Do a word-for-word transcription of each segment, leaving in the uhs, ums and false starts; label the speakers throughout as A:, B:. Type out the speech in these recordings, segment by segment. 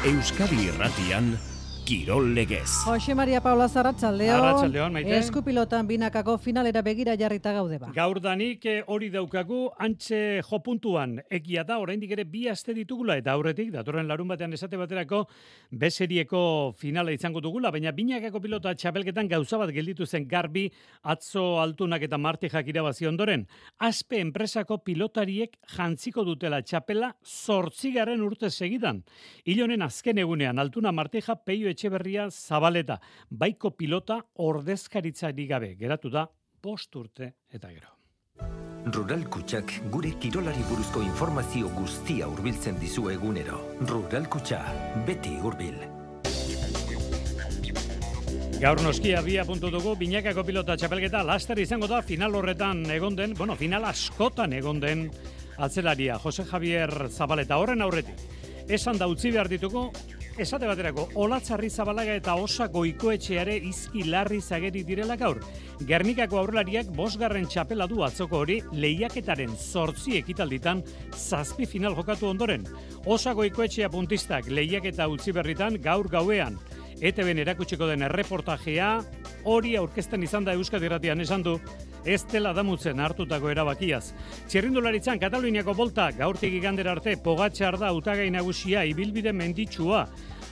A: Euskadi Irratian, Kirol Legez.
B: Jose Maria Paula Arratsaldeon.
C: Arratsaldeon, Maite.
B: Eskupilotan binakako finalera begira jarrita gaude ba.
C: Gaur danik hori daukagu antxe jo puntuan. Egia da, oraindik ere bi aste ditugula eta aurretik, datorren larun batean esate baterako B-serieko finala izango dugula, baina binakako pilota txapelketan gauza bat gelditu zen garbi atzo Altunak eta Martijak irabazi ondoren. Aspe enpresako pilotariek jantziko dutela txapela zortzigarren urte segidan. Ilonen azken egunean Altuna Martija Peio Etxeberria Zabaleta, baiko pilota ordezkaritzari gabe, geratu da bost urte eta gero.
D: Rural Kutxak gure kirolari buruzko informazio guztia hurbiltzen dizu egunero. Rural Kutxa, beti hurbil.
C: Gaur noskia bia puntu dugu, binakako pilota txapelketa laster izango da final horretan egon den, bueno, final askotan egon den atzelaria, Jose Javier Zabaleta, horren aurretik. Esan da utzi behar dituko, esate baterako, Olatzarri Zabalaga eta Osa Goikoetxeare izki larri zageri direla gaur. Gernikako aurrelariak bosgarren txapela du atzoko hori lehiaketaren zortzi ekitalditan zazpi final jokatu ondoren. Osa Goikoetxea puntistak lehiaketa utzi berritan gaur gauean. E T B-n erakutsiko den erreportajea hori aurkezten izan da Euskadi Irratian esan du, ez dela damutzen hartutako erabakiaz. Txirrindularitzan Kataluniako bolta gaurtik igandera arte Pogačar da hautagai nagusia ibilbide menditsua.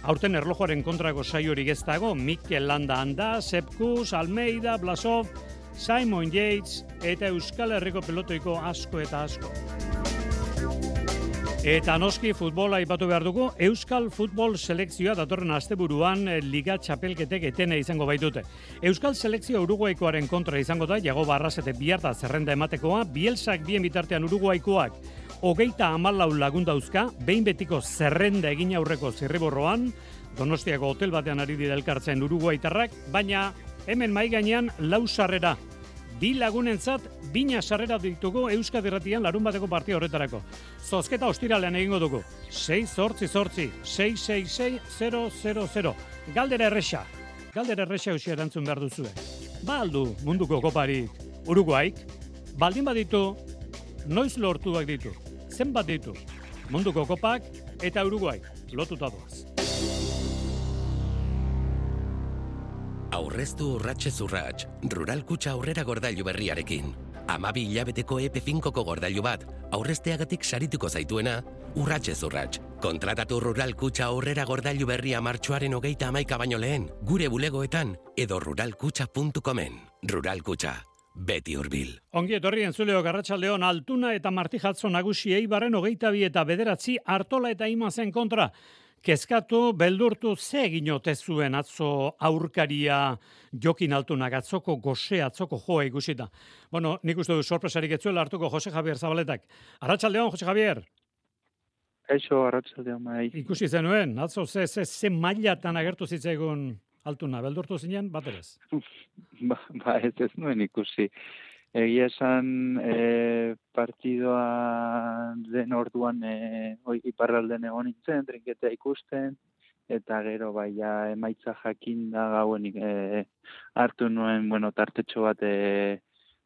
C: Aurten erlojoaren kontrako saiorik ez dago, Mikel Landa Anda, Sepkus, Almeida, Blasov, Simon Yates eta Euskal Herriko pelotoiko asko eta asko. Eta noski futbola aipatu behar dugu, Euskal Futbol Selekzioa datorren asteburuan Liga Txapelketek etene izango baitute. Euskal Selekzio Uruguaikoaren kontra izango da, Jago Barrasete biharta zerrenda ematekoa, Bielsak bien bitartean Uruguaikoak hogeita hamalau lagun dauzka, behin betiko zerrenda egin aurreko zirriborroan, Donostiako hotel batean ari dira elkartzen Uruguaitarrak, baina hemen mai gainean lau sarrera. Bi lagunentzat bina sarrera ditugu Euskadi Irratian larun bateko partia horretarako. Zozketa ostiralean egingo dugu. sei zortzi zortzi, sei sei sei, zero zero zero. Galdera erresa. Galdera erresa eusi erantzun behar duzue. Ba aldu munduko koparik Uruguaik, baldin baditu, noiz lortuak ditu. Zenbat ditu? Munduko kopak eta Uruguaik lotuta doaz.
E: Aurreztu urratxez urratx, Rural Kutxa aurrera gordailu berriarekin. Amabi hilabeteko E P finkoko gordailu bat, aurrezteagatik sarituko zaituena, urratxez urratx. Kontratatu Rural Kutxa aurrera gordailu berria martxoaren hogeita hamaika baino lehen, gure bulegoetan edo ruralkutxa puntu comen. Rural Kutxa, beti hurbil.
C: Ongi etorri entzuleo Arratsaldeon Altuna eta Martijatzo nagusi Eibarren hogeita bi eta bederatzi Artola eta Imazen kontra. Kezkatu, beldurtu, ze egin ote zuen atzo aurkaria Jokin Altunak, atzoko goxe, atzoko joa ikusita. Bueno, nik uste du sorpresarik etzuela hartuko Jose Javier Zabaletak. Arratsaldeon, Jose Javier.
F: Eixo, arratsaldeon, bai.
C: Ikusi zenuen, atzo ze, ze, ze mailatan agertu zitzaigun Altuna, beldurtu zinen, baterez?
F: ba, ba, ez ez nuen ikusi. Egia esan e, partidoa den orduan e, iparralden egon nintzen, trinketea ikusten, eta gero baia emaitza jakin da gauen e, hartu nuen, bueno, tartetxo bat e,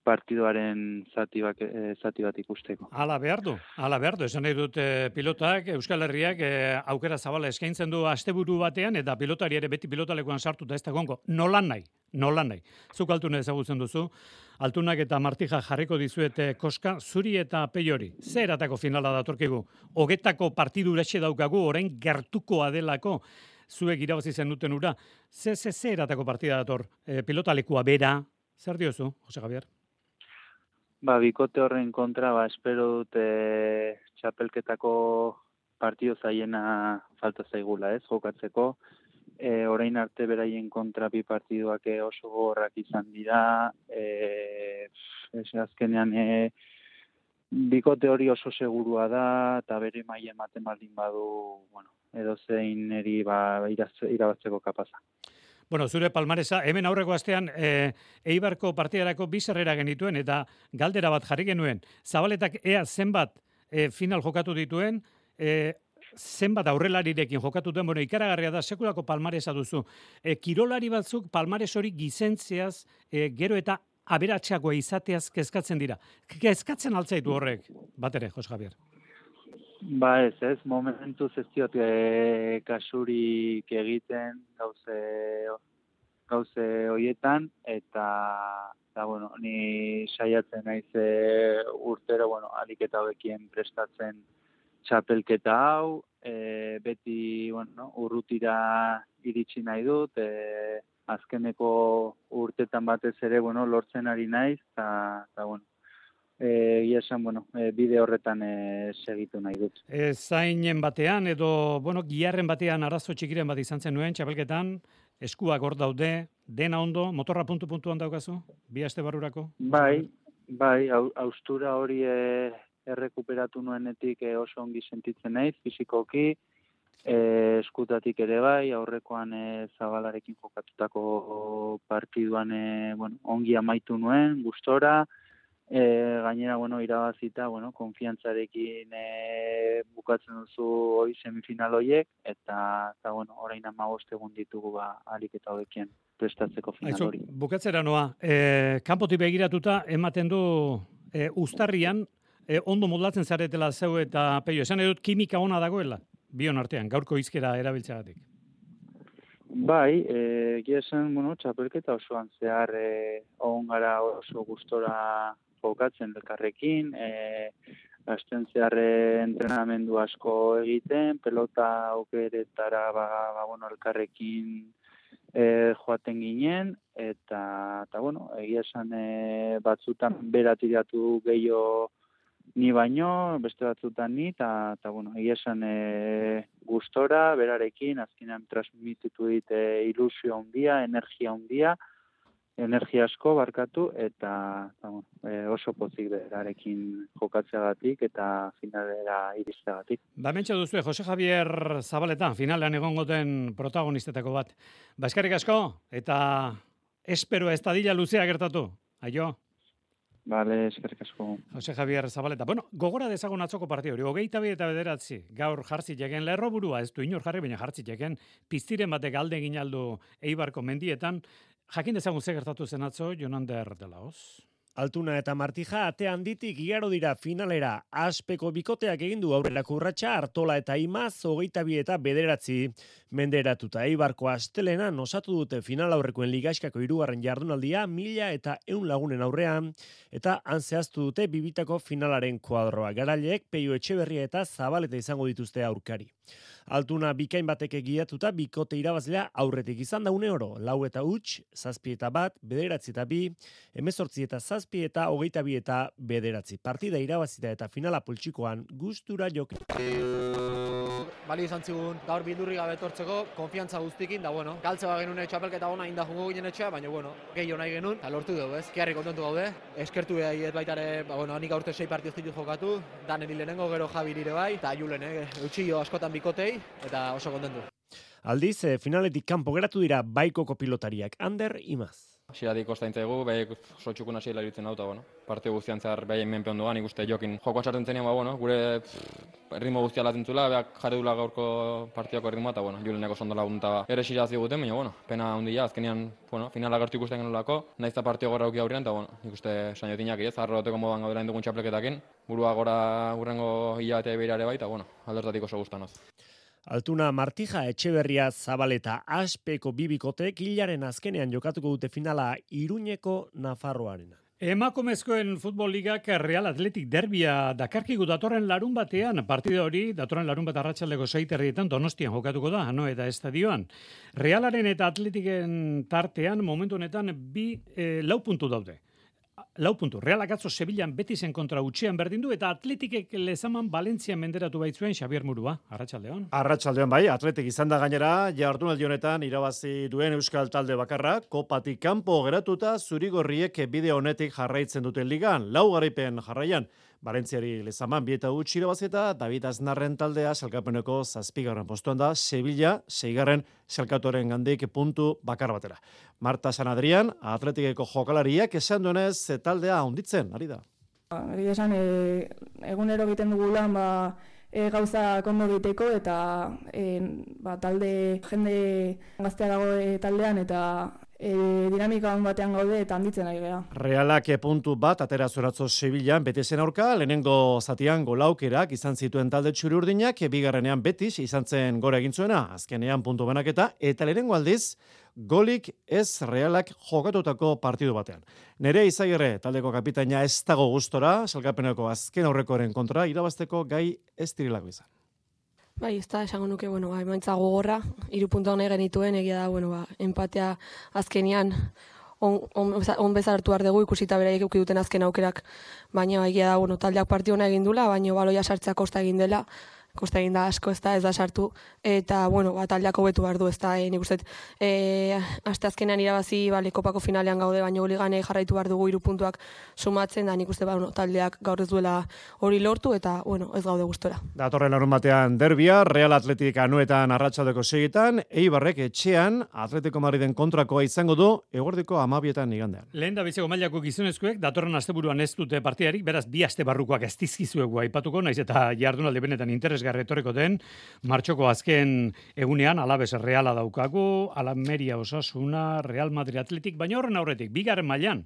F: partidoaren zati bat, e, zati bat ikusteko.
C: Hala behar du, hala behar du. Esan nahi dut e, pilotak, Euskal Herriak e, aukera zabala eskaintzen du asteburu batean, eta pilotari ere beti pilotalekuan sartuta ez da gongo. Nolan nahi, nolan nahi. Zuk Altuna ezagutzen duzu. Altunak eta Martija jarriko dizuete koska, zuri eta peiori. Ze eratako finala datorkigu? Hogetako partidu uretxe daukagu, orain gertukoa delako, zuek irabazi zen duten ura. Ze, ze, ze eratako partida dator? E, pilotalekua bera, zer diozu, Jose Javier?
F: Ba, bikote horren kontra, ba, espero dute txapelketako partido zaiena falta zaigula, ez, jokatzeko. E, orain arte beraien kontra bi partiduak oso gogorrak izan dira, e, ez azkenean e, bikote hori oso segurua da, eta bere maila ematen baldin badu, bueno, edo zein eri ba, irabatzeko kapaza.
C: Bueno, zure palmaresa, hemen aurreko astean e, Eibarko partidarako bi sarrera genituen, eta galdera bat jarri genuen. Zabaletak ea zenbat e, final jokatu dituen, e, zenbat aurrelarirekin jokatu duen, bueno, ikaragarria da, sekulako palmaresa duzu. E, kirolari batzuk palmares hori gizentzeaz, e, gero eta aberatsagoa izateaz kezkatzen dira. Kezkatzen altzaitu horrek, bat ere, Jose Javier?
F: Ba ez, ez, momentuz ez diot e, kasurik egiten gauze, gauze hoietan, eta, eta bueno, ni saiatzen naiz e, urtero, bueno, alik eta hobekien prestatzen txapelketa hau, e, beti, bueno, urrutira iritsi nahi dut, e, azkeneko urtetan batez ere, bueno, lortzen ari naiz, eta, eta bueno, egia esan, bueno, e, bide horretan e, segitu nahi dut.
C: E, zainen batean, edo, bueno, giarren batean arazo txikiren bat izan zen nuen, txapelketan, eskuak hor daude, dena ondo, motorra puntu-puntuan daukazu, bi aste barurako?
F: Bai, bai, haustura hori e, errekuperatu nuenetik e, oso ongi sentitzen naiz, fizikoki, e, eskutatik ere bai, aurrekoan e, Zabalarekin jokatutako partiduan e, bueno, ongi amaitu nuen, gustora, E, gainera, bueno, irabazita, bueno, konfiantzarekin e, bukatzen duzu hoi semifinal hoiek, eta, eta bueno, orain hamabost egun ditugu ba, alik eta hobekien prestatzeko final hori.
C: Aizu, bukatzera noa, e, kanpotik begiratuta ematen du e, uztarrian, e, ondo modlatzen zaretela zeu eta peio, esan edut kimika ona dagoela, bion artean, gaurko hizkera erabiltzeagatik.
F: Bai, egia esan, bueno, txapelketa osoan zehar e, on gara oso gustora jokatzen elkarrekin, e, gazten zeharre entrenamendu asko egiten, pelota aukeretara ba, ba, bueno, elkarrekin e, joaten ginen, eta, eta bueno, egia esan e, batzutan beratiratu gehiago ni baino, beste batzutan ni, eta, eta bueno, egia esan e, gustora, berarekin, azkenean transmititu dit e, ilusio handia, energia handia, energia asko barkatu, eta, eta bueno, e, oso pozik berarekin jokatzeagatik eta finalera iristeagatik.
C: Ba, mentxe duzu, Jose Javier Zabaleta, finalean egongoten protagonistetako bat. Ba, eskerrik asko, eta espero ez dadila luzea gertatu. Aio?
F: Bale, eskerrik asko.
C: Jose Javier Zabaleta. Bueno, gogora dezagun atzoko partio hori. Hogeita bi eta bederatzi. Gaur jartzit egen lerro burua, ez du inor jarri, baina jartzit egen piztiren batek alde egin aldu Eibarko mendietan. Jakin dezagun ze gertatu zen atzo, Jonander de Laoz.
G: Altuna eta Martija ate handitik igaro dira finalera. Aspeko bikoteak egin du aurrerako urratsa, Artola eta Imaz hogeita bi eta bederatzi menderatuta. Eibarko astelenan osatu dute final aurrekoen ligaskako hirugarren jardunaldia mila eta ehun lagunen aurrean, eta han zehaztu dute bibitako finalaren kuadroa. Garaileek Peio Etxeberria eta Zabaleta izango dituzte aurkari. Altuna bikain batek egiatuta bikote irabazlea aurretik izan da une oro. Lau eta huts, zazpi eta bat, bederatzi eta bi, hemezortzi eta zazpi eta hogeita bi eta bederatzi. Partida irabazita eta finala poltsikoan gustura jokin.
H: Bali izan zigun gaur bildurri gabe etortzeko, konfiantza guztikin, da bueno, galtze bat genuen txapelketa ona inda jungo ginen etxea, baina bueno, gehiago nahi genuen, eta lortu dugu, ez? Kiarri kontentu gaude, eskertu behar baitare, ba bueno, nik aurte sei partioz ditut jokatu, Danen hilenengo, gero Javi nire bai, eta Julen, eh? Eutxillo askotan bikotei, eta oso kontentu.
G: Aldiz, finaletik kanpo geratu dira baikoko pilotariak, Ander Imaz.
I: Hasieratik kostaintzaigu, behaiek oso txukun hasiera iruditzen dauta, bueno. Partio guztian zehar behaien menpe ondoan, ikuste jokin joko sartzen zenean, ba, bueno, gure pff, erritmo guztia latentzula, beak jarri dula gaurko partiako erritmoa, eta, bueno, Juleneko sondola gunta ere xira ziguten, baina, bueno, pena handia, azkenean, bueno, finala gertu ikusten genolako, nahiz eta partio gorra auki aurrean, eta, bueno, ikuste sainotinak ez, arroteko modan gaudela indugun txapleketakin, burua gora urrengo hilabete beirare bai, eta, bueno, aldertatik oso gustanoz.
G: Altuna Martija Etxeberria Zabaleta Aspeko bibikotek hilaren azkenean jokatuko dute finala Iruñeko Nafarroarena.
C: Emakumezkoen futbol ligak Real Athletic derbia dakarkigu datorren larun batean, partida hori datorren larun bat arratsaldeko sei terrietan Donostian jokatuko da, Anoeta estadioan. Realaren eta Atletiken tartean momentu honetan bi e, lau puntu daude. Lau puntu. Realak atzo Sevillan Betisen kontra utxean berdin du, eta Atletikek lezaman Valentzian menderatu baitzuen Xabier Murua. Arratsaldeon.
J: Arratsaldeon bai, Atletik izan da gainera, jardunaldi honetan irabazi duen euskal talde bakarra, kopatik kanpo geratuta zurigorriek bide honetik jarraitzen duten ligan, lau garaipen jarraian. Valentziari lezaman bi eta huts irabazita, David Aznarren taldea salkapeneko zazpigarren postuan da, Sevilla seigarren salkatoren gandik puntu bakar batera. Marta San Adrian, Atletikeko jokalariak esan duenez taldea handitzen, ari da.
K: Egia esan, e, egunero egiten dugu lan, ba, e, gauza kondo egiteko, eta e, ba, talde jende gaztea dago e, taldean, eta e, dinamika on batean gaude eta handitzen ari gara.
J: Realak puntu bat atera zoratzo Sevillan Betezen aurka, lehenengo zatian golaukerak izan zituen talde txuri-urdinak, bigarrenean Betis izan zen gora egin zuena, azkenean puntu banaketa, eta lehenengo aldiz, golik ez Realak jokatutako partidu batean. Nere Izagirre, taldeko kapitaina ez dago gustora, salkapeneko azken aurrekoren kontra, irabazteko gai ez dirilako izan.
L: Bai, ez da, esango nuke, bueno, ba, emaitza gogorra, hiru puntu hone genituen, egia da, bueno, ba, empatea azkenian on, on, on bezar hartu behar dugu, ikusita beraiek euki duten azken aukerak, baina egia da, bueno, taldeak partiona egin dula, baina baloia sartzea kosta egin dela, kosta egin da asko, ez da, ez da sartu, eta, bueno, ba, taldeak hobetu behar du, ez da, e, nik uste, e, aste azkenean irabazi, bale, kopako finalean gaude, baina hori gane jarraitu behar dugu hiru puntuak sumatzen, da nik uste, ba, bueno, taldeak gaur ez duela hori lortu, eta, bueno, ez gaude gustora.
J: Datorren larun batean derbia, Real Atletik anuetan arratsaldeko segitan, Eibarrek etxean Atletico Madriden kontrakoa izango du, eguerdiko hamabietan igandean.
C: Lehen da biziko mailako gizonezkoek, datorren asteburuan ez dute partidarik, beraz, bi aste barrukoak ez dizkizuegu aipatuko, naiz eta jardunaldi benetan interes etorriko den, martxoko azken egunean Alabes Reala daukagu, Almeria Osasuna, Real Madrid Atletik, baina horren aurretik, bigarren mailan,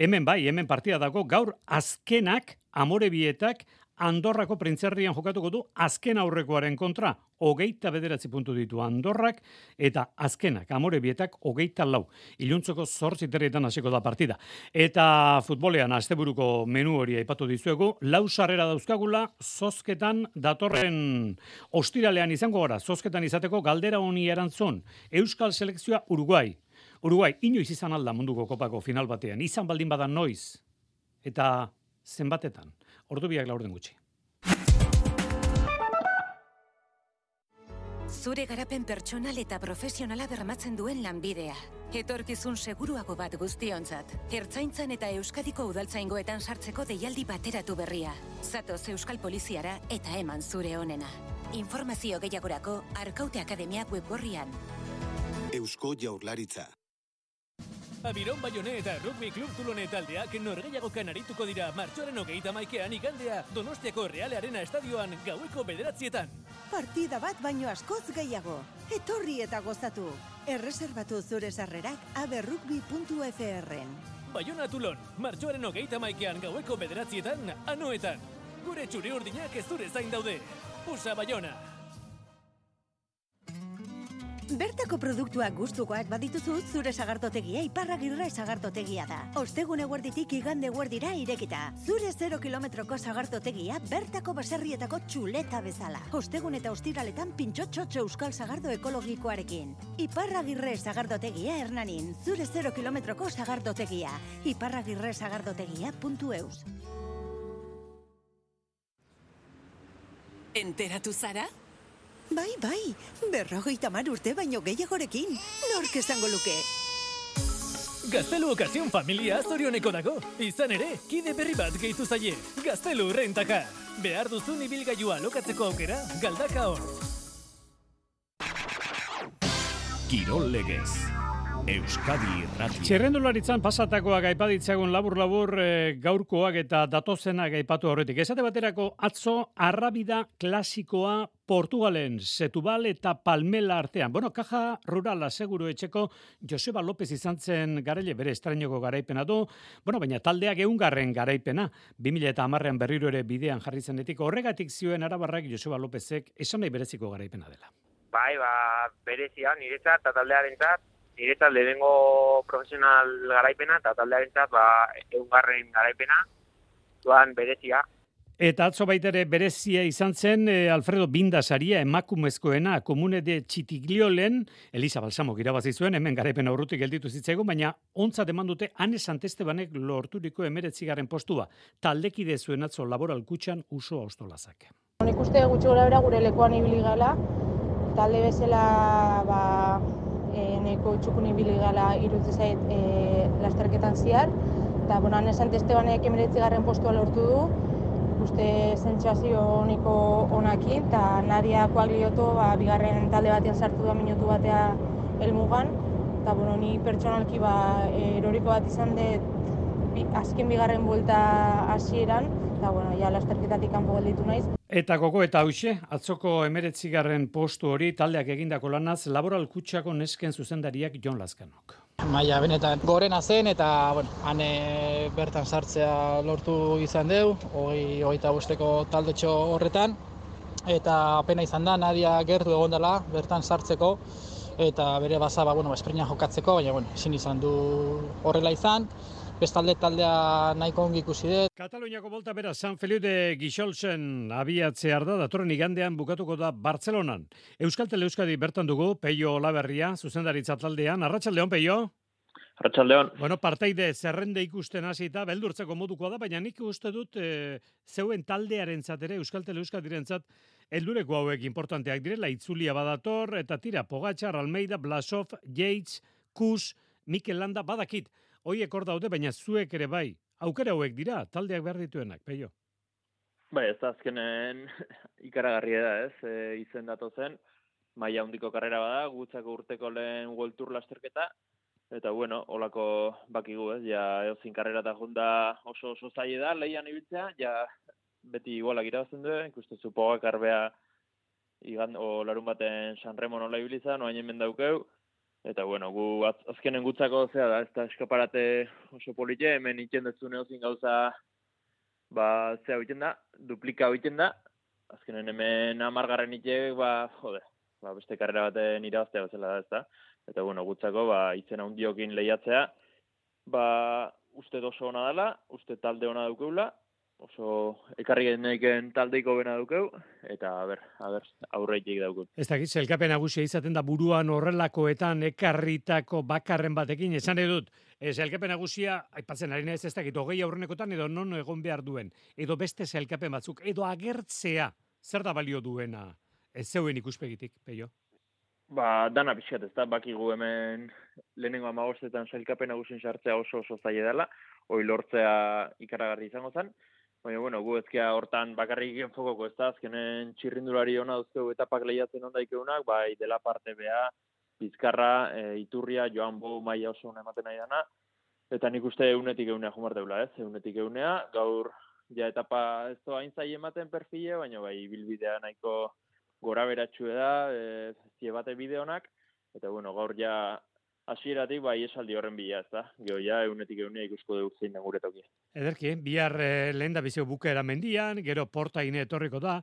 C: hemen bai, hemen partida dago, gaur azkenak, Amorebietak, Andorrako Printzerrian jokatuko du azken aurrekoaren kontra, hogeita bederatzi puntu ditu Andorrak, eta azkenak, Amorebietak, hogeita lau. Iluntzoko zortzi terrietan hasiko da partida. Eta futbolean, asteburuko menu hori aipatu dizuegu, lau sarrera dauzkagula, zozketan datorren ostiralean izango gara, zozketan izateko galdera honi erantzun, Euskal Selekzioa Uruguai. Uruguai, inoiz izan alda munduko kopako final batean, izan baldin badan noiz, eta zenbatetan. Ordu biak laurden gutxi.
M: Zure garapen pertsonal eta profesionala bermatzen duen lanbidea. Etorkizun seguruago bat guztiontzat. Ertzaintzan eta Euskadiko udaltzaingoetan sartzeko deialdi bateratu berria. Zatoz Euskal Poliziara eta eman zure onena. Informazio gehiagorako Arkaute Akademiak webgorrian.
N: Eusko Jaurlaritza.
O: Abiron Baione eta Rugby Club Tulone taldeak norgehiagokan arituko dira martxoaren hogeita hamaikean igandea Donostiako Real Arena estadioan gaueko bederatzietan.
P: Partida bat baino askoz gehiago. Etorri eta gozatu. Erreserbatu zure sarrerak aberrugby puntu f r-en.
O: Baiona Tulon, martxoaren hogeita hamaikean gaueko bederatzietan, anoetan. Gure txuri urdinak ez zure zain daude. Usa Baiona.
P: Bertako produktuak gustukoak badituzu, zure sagardotegia Iparragirre sagardotegia da. Ostegun eguerditik igande eguerdira irekita. Zure zero kilometroko sagardotegia bertako baserrietako txuleta bezala. Ostegun eta ostiraletan pintxotxotxo euskal sagardo ekologikoarekin. Iparragirre sagardotegia Hernanin. Zure zero kilometroko sagardotegia. Iparragirre sagardotegia puntu eus.
M: Enteratu zara?
P: Bai, bai, berrogeita hamar urte baino gehiagorekin, nork esango luke.
O: Gaztelu Okazion familia zorioneko dago. Izan ere, kide berri bat gehitu zaie. Gaztelu Rentaka. Behar duzun ibilgailua lokatzeko aukera, galdaka hor.
A: Kirol Legez. Euskadi Irratia.
C: Txerrendularitzan pasatakoak aipaditzagun labur-labur e, gaurkoak eta datozenak aipatu horretik. Esate baterako atzo arrabida klasikoa Portugalen, Setubal eta Palmela artean. Bueno, Kaja Rurala seguru etxeko Joseba López izan zen garaile bere estrainoko garaipena du. Bueno, baina taldeak eungarren garaipena. bi mila hamarrean berriro ere bidean jarri zenetik. Horregatik zioen arabarrak Joseba Lópezek esan nahi bereziko garaipena dela.
Q: Bai, ba, berezia, niretzat eta taldearentzat. Niretzat lehenengo profesional garaipena eta taldearentzat ba, eungarren garaipena, duan berezia.
C: Eta atzo baitere berezia izan zen e, Alfredo Bindasaria emakumezkoena Komune de Txitigliolen, Elisa Balsamok irabazi zuen, hemen garaipen aurrutik gelditu zitzaigun, baina ontzat eman dute Ane Santestebanek lorturiko emeretzigarren postua. Taldekide zuen atzo Laboral Kutxan Uso Austolazak.
K: Nik uste gutxi gora bera gure lekuan ibili gala, talde bezala ba, e, neko txukun ibili gala irutze zait e, lasterketan ziar, eta bueno, Ane Santestebanek emeretzigarren postua lortu du, uste sentsazio honiko honakin, eta Nadia Koaglioto ba, bigarren talde batean sartu da minutu batea helmugan, eta bueno, ni pertsonalki ba, eroriko bat izan dut bi, azken bigarren buelta hasieran, eta bueno, ja lasterketatik kanpo gelditu naiz.
C: Eta koko eta hauxe, atzoko emeretzigarren postu hori taldeak egindako lanaz Laboral Kutxako nesken zuzendariak Jon Lazkanok.
R: Maia benetan gorena zen eta bueno, han e, bertan sartzea lortu izan deu, hogei hogeita bosteko taldetxo horretan, eta apena izan da, Nadia gertu egon dela bertan sartzeko, eta bere bazaba, bueno, esprinan jokatzeko, baina bueno, ezin izan du horrela izan. Bestalde taldea nahiko ongi ikusi dut.
C: Kataluniako bolta bera San Feliu de Guixolsen abiatzear da, datorren igandean bukatuko da Bartzelonan. Euskaltel Euskadi bertan dugu, Peio Olaberria, zuzendaritza taldean. Arratsaldeon, Peio?
S: Arratsaldeon.
C: Bueno, parteide zerrende ikusten hasita, beldurtzeko modukoa da, baina nik uste dut e, zeuen taldearentzat ere, Euskaltel Euskadirentzat, heldureko hauek importanteak direla, itzulia badator, eta tira, Pogačar, Almeida, Blasov, Yates, Kus, Mikel Landa, badakit. Hoiek hor daude, baina zuek ere bai. Aukera hauek dira, taldeak behar dituenak, Peio.
S: Bai, ez da azkenen ikaragarria da, ez? E, izen dato zen, maila handiko karrera bada, gutzako urteko lehen World Tour lasterketa, eta bueno, holako bakigu, ez? Ja, eozin karrera eta junda oso oso zaila da, lehian ibiltzea, ja, beti igualak irabazten du, ikusten zu Pogačar bea, igan, o larun baten San Remo nola ibilizan, oain hemen daukeu, eta bueno, gu az, azkenen gutzako zea da, ez da eskaparate oso polite, hemen iten dezun eozin gauza, ba, zea egiten da, duplika egiten da, azkenen hemen amargarren itek, ba, jode, ba, beste karrera baten irabaztea bezala da, ez da, eta bueno, gutzako, ba, izen handiokin lehiatzea, ba, uste oso ona dela, uste talde ona daukeula, oso ekarri geneiken taldeiko bena dukeu, eta a ber, a ber, aurreitik daukeu.
C: Ez dakit, zelkapen nagusia izaten da buruan horrelakoetan ekarritako bakarren batekin, esan edut, zelkapen nagusia, aipatzen ari naiz ez dakit, hogei aurrenekotan edo non egon behar duen, edo beste zelkapen batzuk, edo agertzea, zer da balio duena, ez zeuen ikuspegitik, Peio?
S: Ba, dana pixkat, ez da, bakigu hemen lehenengo amagostetan zelkapen nagusien sartzea oso oso zaila dela, hoi lortzea ikaragarri izango zen, baina, bueno, gu ezkia hortan bakarrik enfokoko, ez da, azkenen txirrindulari ona duzkeu etapak lehiatzen ondaikeunak, bai, dela parte bea, Bizkarra, e, Iturria, Joan Bo, maila oso ona ematen nahi dana, eta nik uste eunetik eunea jumar deula, ez, eunetik eunea, gaur, ja, etapa ez doa aintzai ematen perfile, baina, bai, bilbidea nahiko gora beratxue da, e, zie bate bideonak, eta, bueno, gaur ja, hasieratik bai esaldi horren bila, ez da? Gero ja, eunetik eunea ikusko dugu zein da gure tokia.
C: Ederki, bihar eh, lehen da bizio bukaera mendian, gero portaine etorriko da,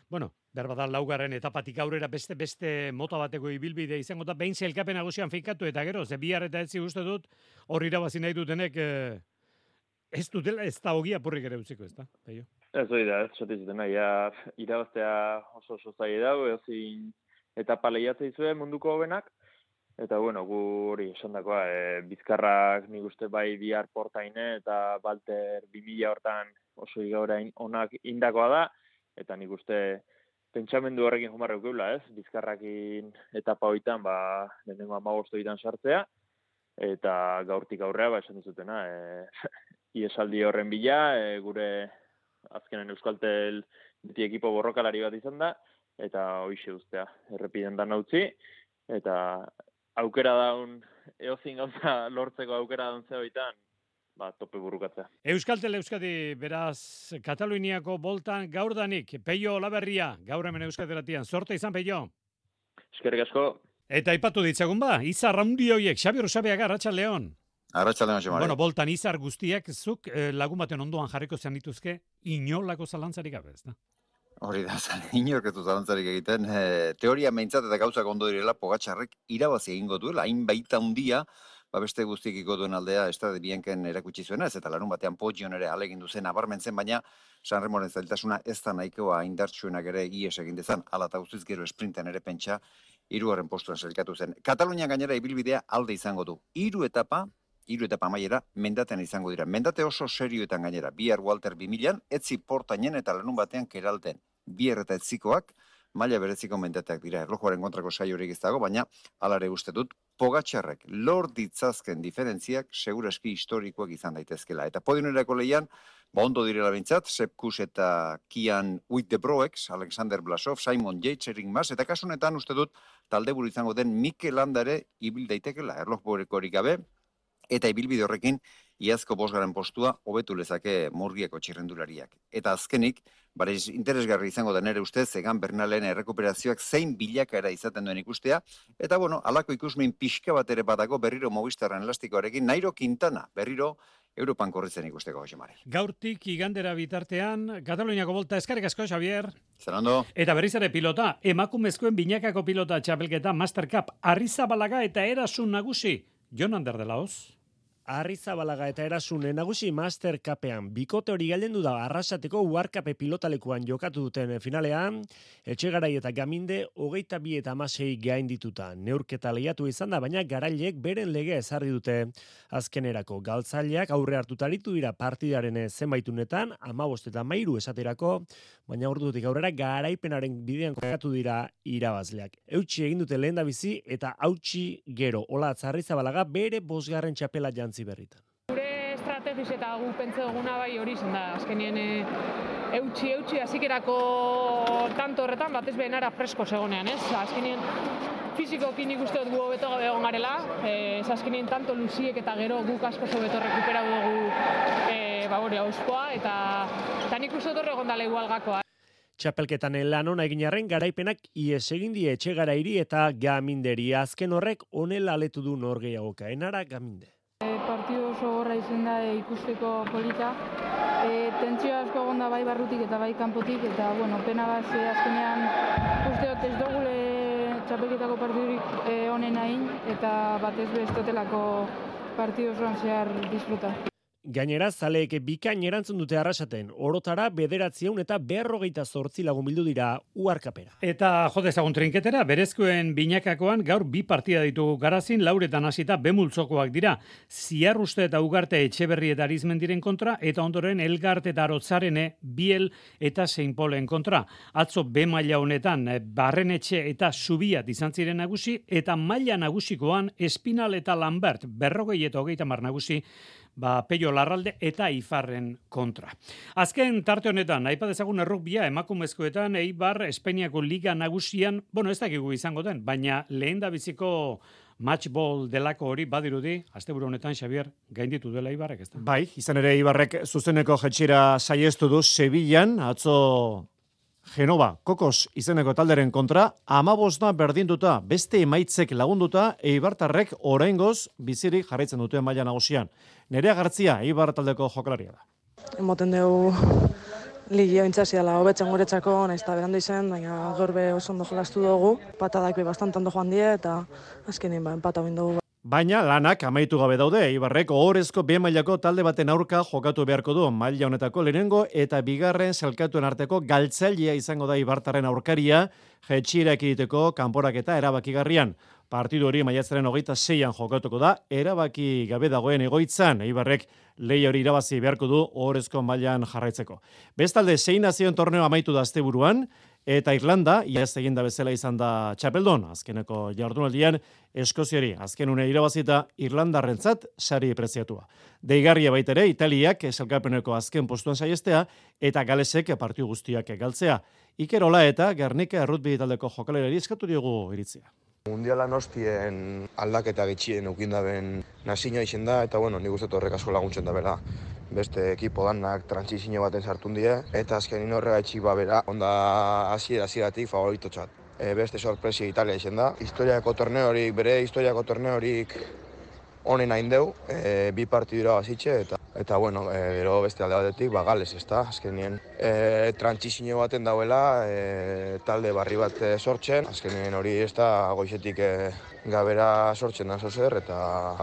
C: bueno, berbada laugarren etapatik aurrera beste beste mota bateko ibilbide izango da, behin zelkapen nagusian finkatu eta gero, ze bihar eta etzi uste dut, hor irabazi nahi dutenek, eh, ez dutela, ez da hogia purrik ere utziko, ez da? Peio?
S: Ez hori da, ez zuten, ja, irabaztea oso oso zaila dago, ezin etapa lehiatzea izue munduko hobenak, eta, bueno, gu hori esan dakoa, e, Bizkarrak nik uste bai bihar portaine eta Balter bi mila hortan oso igaurain onak indakoa da, eta nik uste pentsamendu horrekin jumarra eukeula, ez? Bizkarrakin etapa hoitan, ba, lehenengo hamabost hoitan sartzea, eta gaurtik aurrea, ba, esan dizutena, e, iesaldi horren bila, e, gure azkenen Euskaltel beti ekipo borrokalari bat izan da, eta hoixe ustea, errepiden dan utzi, eta aukera daun, eozin gauza lortzeko aukera daun zehoitan, ba, tope burukatzea.
C: Euskaltel Euskadi, beraz, Kataluniako boltan gaurdanik, Peio Olaberria, gaur hemen Euskaderatian, sorte izan, Peio?
S: Eskerrik asko.
C: Eta ipatu ditzagun ba, Izar handi hoiek, Xabi Rosabeaga, Arratsaldeon.
T: Arratsaldeon, Xamari.
C: Bueno, boltan Izar guztiak, zuk eh, lagun baten ondoan jarriko zen dituzke, inolako zalantzarik gabe, ez da?
T: Hori da, inork ez du zalantzarik egiten. E, teoria meintzat eta gauzak ondo direla Pogačarrek irabazi egingo duela, hain baita hundia, ba beste guztikiko duen aldea Estade Bianchen erakutsi zuena, ez eta larun batean Poggion ere alegin duzen abarmentzen, baina San Remoren zailtasuna ez da nahikoa indartsuenak ere ies egin dezan, ala eta guztiz gero esprinten ere pentsa, hirugarren postuan sailkatu zen. Katalunian gainera ibilbidea alde izango du. Hiru etapa, hiru etapa amaiera mendaten izango dira. Mendate oso serioetan gainera, bihar Walter bi milan, etzi portainen eta larun batean keralten. Bihar eta etzikoak, maila bereziko mendateak dira. Erlojuaren kontrako saiorik ez dago, baina alare uste dut, Pogačarrek lor ditzazken diferentziak segurazki historikoak izan daitezkela. Eta podionerako lehian, ba ondo direla bintzat, Sepp Kuss eta Kian Uijtdebroeks, Alexander Blasov, Simon Yates, Erik Mas, eta kasunetan uste dut, talde buru izango den Mikel Landa ere ibil daitekela. Erlojuarekorik gabe, eta ibilbide horrekin iazko bosgarren postua hobetu lezake Murgiako txirrendulariak. Eta azkenik, barez interesgarri izango da nere ustez, Egan Bernalen errekuperazioak zein bilakaera izaten duen ikustea, eta bueno, alako ikusmin pixka bat ere badago berriro Movistarren elastikoarekin, Nairo Quintana berriro Europan korritzen ikusteko, Jose Mari.
C: Gaurtik igandera bitartean, Kataluniako bolta eskarrik asko, Xavier.
T: Zer ondo.
C: Eta berriz ere pilota, emakumezkoen binakako pilota txapelketa Master Cup, Arrizabalaga eta Erasun nagusi, Jon Ander de la Hoz.
G: Arrizabalaga eta Erasune nagusi Master Cupean bikote hori galdendu da Arrasateko Uharkape pilotalekuan jokatu duten finalean, Etxegarai eta Gaminde hogeita bi eta hamasei gain dituta. Neurketa lehiatu izan da, baina garailek beren legea ezarri dute azkenerako. Galtzaileak aurre hartutaritu dira partidaren zenbaitunetan, hamabost eta hamairu esaterako, baina ordutik aurrera garaipenaren bidean kokatu dira irabazleak. Eutsi egin dute lehendabizi eta hautsi gero. Olatz Arrizabalaga bere bosgarren txapela jantzi berritan.
U: Gure estrategiz eta gu pentsa duguna bai hori izan da. Azkenien e, eutxi, eutxi, hasikerako tanto horretan batez behenara fresko zegonean, ez? Azkenien fizikokin ikuste dut gu hobeto gabe egon garela, e, azkenien tanto luziek eta gero guk asko hobeto rekuperau dugu e, ba hori auspoa, eta, eta nik uste dut egon dala igual gakoa.
G: Txapelketan lan ona egin arren garaipenak ies egin die Etxegarairi eta Gaminderi. Azken horrek onela aletu du nor gehiagoka. Enara Gaminde.
V: Partido oso horra izan da e, ikusteko polita. E, tentsio asko egon da bai barrutik eta bai kanpotik, eta bueno, pena gaz e, azkenean uste dut ez dugule txapelketako partidurik e, honen hain, eta batez bestotelako partido osoan zehar disfruta.
G: Gainera, zaleek bikain erantzun dute Arrasaten, orotara bederatziehun eta berrogeita zortzi lagun bildu dira Uharkapera.
C: Eta jode ezagun trinketera, berezkoen binakakoan gaur bi partida ditugu Garazin, lauretan hasita bemultzokoak dira. Ziarruste eta Ugarte Etxeberri eta Arizmendiren kontra, eta ondoren Elgarte eta Arotzarene, Biel eta Seinpolen kontra. Atzo B maila honetan Barrenetxe eta Zubiat izan ziren nagusi, eta maila nagusikoan Espinal eta Lambert, berrogei eta hogeita mar nagusi, ba, Peio Larralde eta Ifarren kontra. Azken tarte honetan, aipa dezagun errukbia emakumezkoetan Eibar Espainiako Liga nagusian, bueno, ez dakigu izango den, baina lehen da biziko matchball delako hori badirudi, asteburu honetan Xavier gainditu dela Eibarrek, ez da?
J: Bai, izan ere Eibarrek zuzeneko jetxira saiestu du Sevillan, atzo Genova, Kokos izeneko talderen kontra, amabosta berdinduta, beste emaitzek lagunduta, Eibartarrek oraingoz bizirik jarraitzen dute maila nagusian. Nerea Gartzia, Eibar taldeko jokalaria da.
W: Emoten dugu ligia intzaziala hobetzen guretzako, nahiz eta berandu izan, baina gaur be oso ondo jolastu dugu, patadak be bastant ondo joan die, eta azkenin ba, empata egin dugu.
J: Baina lanak amaitu gabe daude, Eibarrek ohorezko B mailako talde baten aurka jokatu beharko du, maila honetako lehenengo eta bigarren zelkatuen arteko galtzailea izango da Eibartarren aurkaria, jetxierak egiteko kanporaketa erabakigarrian. Partidu hori maiatzaren hogeita seian jokatuko da, erabaki gabe dagoen egoitzan, Eibarrek lehi hori irabazi beharko du ohorezko mailan jarraitzeko. Bestalde, sei nazioen torneo amaitu da asteburuan, eta Irlanda, iaz eginda bezala izan da txapeldon, azkeneko jardunaldian, Eskoziari azken une irabazita Irlandarrentzat sari preziatua. Deigarria baitere, Italiak esalkapeneko azken postuan saiestea, eta Galesek partiu guztiak galtzea. Iker Ola eta Gernika errutbi taldeko jokalerari eskatu diogu iritzia.
X: Mundialan hostien aldaketa gitxien eukindaben nazioa izen da, eta bueno, nik uste horrek asko laguntzen da bera. Beste ekipo danak transizio baten sartun die, eta azkenin horregaitxik ba bera, onda hasiera hasieratik favoritotzat. E, beste sorpresia Italia izen da. Historiako torneorik, bere historiako torneorik honen hain deu, e, bi partidura bazitxe, eta eta bueno, e, gero beste alde batetik, ba Gales, ez da, azkenien e, transizio baten dauela, e, talde barri bat e, sortzen, azkenien hori ez da goizetik e, gabera sortzen da zozer, eta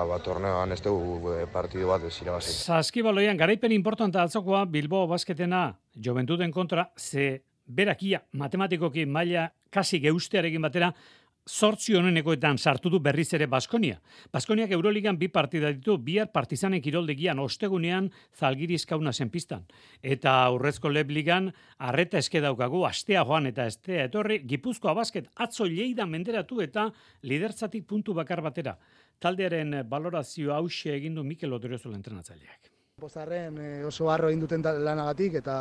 X: ba, torneoan ez dugu e, partidu bat ez irabazi.
C: Saskibaloian garaipen importanta atzokoa Bilbao basketena Joventuten kontra, ze berakia matematikoki maila kasi geustearekin batera, zortzi honenekoetan sartu du berriz ere Baskonia. Baskoniak Euroligan bi partida ditu, bihar Partizanen kiroldegian ostegunean Zalgiris Kaunasen pistan. Eta aurrezko Lebligan arreta eske daukagu, astea joan eta estea etorri, Gipuzkoa basket atzo Lleida menderatu eta lidertzatik puntu bakar batera. Taldearen balorazio hause egin du Mikel Odriozola entrenatzaileak.
B: Pozarren oso harro egin duten lanagatik eta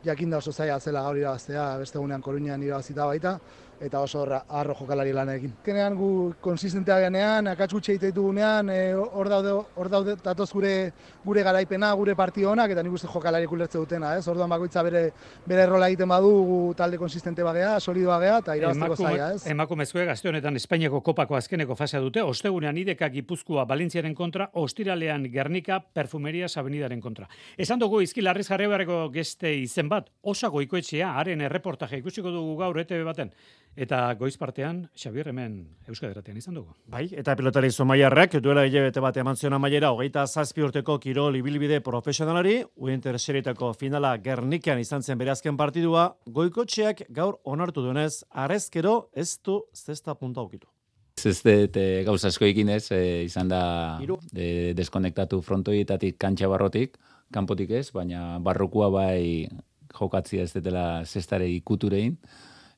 B: jakinda oso zaila zela gaur irabaztea, beste egunean Koruñan irabazita baita, eta oso harro jokalari lanarekin. Kenean gu konsistentea genean, akats gutxi egite ditugunean, hor daude, hor daude datoz gure, gure garaipena, gure partio honak, eta nik uste jokalari ulertze dutena, ez? Orduan bakoitza bere, bere rola egiten badu, gu talde konsistente bagea, solidoa gea, eta irabazteko zaila, ez?
C: Emakumezkoek aste honetan Espainiako kopako azkeneko fasea dute, ostegunean Ideka Gipuzkoa Valentziaren kontra, ostiralean Gernika Perfumerias Avenidaren kontra. Esan dugu izki Larriz Jarribarreko geste izen bat, Osa Goikoetxea, haren erreportaje ikusiko dugu gaur E T B baten. Eta goiz partean, Xabier hemen Euskadi Irratian izan dugu.
J: Bai, eta pilotari Zumaiarrak duela hilabete bat eman zion amaiera hogeita zazpi urteko kirol ibilbide profesionalari, Winter Serietako finala Gernikan izan zen bere azken partidua, Goikotxeak gaur onartu duenez, arrezkero ez du zesta punta aukitu.
D: Ez dut e, gauza asko ikinez, e, izan da de, deskonektatu frontoietatik kantxa barrotik, kanpotik ez, baina barrokua bai jokatzia ez dutela zestare ikuturein,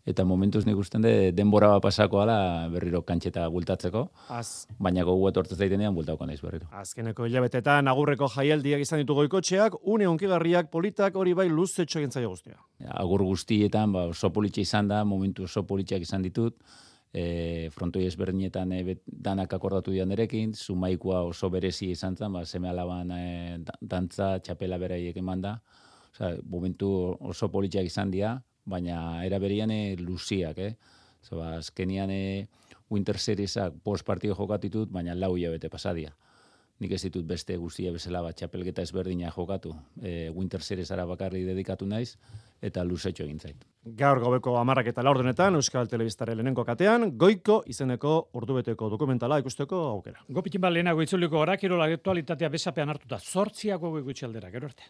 D: eta momentuz nik usten de denbora bat pasako ala berriro kantxeta bultatzeko,
J: Az.
D: baina gogu etortez daitenean bultauko naiz berriro.
J: Azkeneko hilabetetan agurreko jaialdiak izan ditu Goikotxeak, une onkigarriak politak hori bai luzetxo egin zaio guztia.
D: Agur guztietan ba, oso politxe izan da, momentu oso politxeak izan ditut, e, frontoi ezberdinetan e, danak akordatu dian erekin, Zumaikoa oso berezi izan zen, ba, seme alaban e, dantza, txapela beraiek eman da, osea, momentu oso politxeak izan dira, baina era berian e, luziak, eh? Zoba, azkenian e, Winter Seriesak post partido jokatitut, baina lau hilabete pasadia. Nik ez ditut beste guztia bezala bat txapelketa ezberdina jokatu. E, Winter Seriesara bakarri dedikatu naiz, eta luzetxo egin zait.
J: Gaur gaueko hamarrak eta laurdenetan, Euskal Telebistaren lehenengo katean, Goiko izeneko ordubeteko dokumentala ikusteko aukera.
C: Gopitin bat lehenago itzuliko gara, kirola aktualitatea besapean hartuta, zortziako goiko itxaldera, gero arte.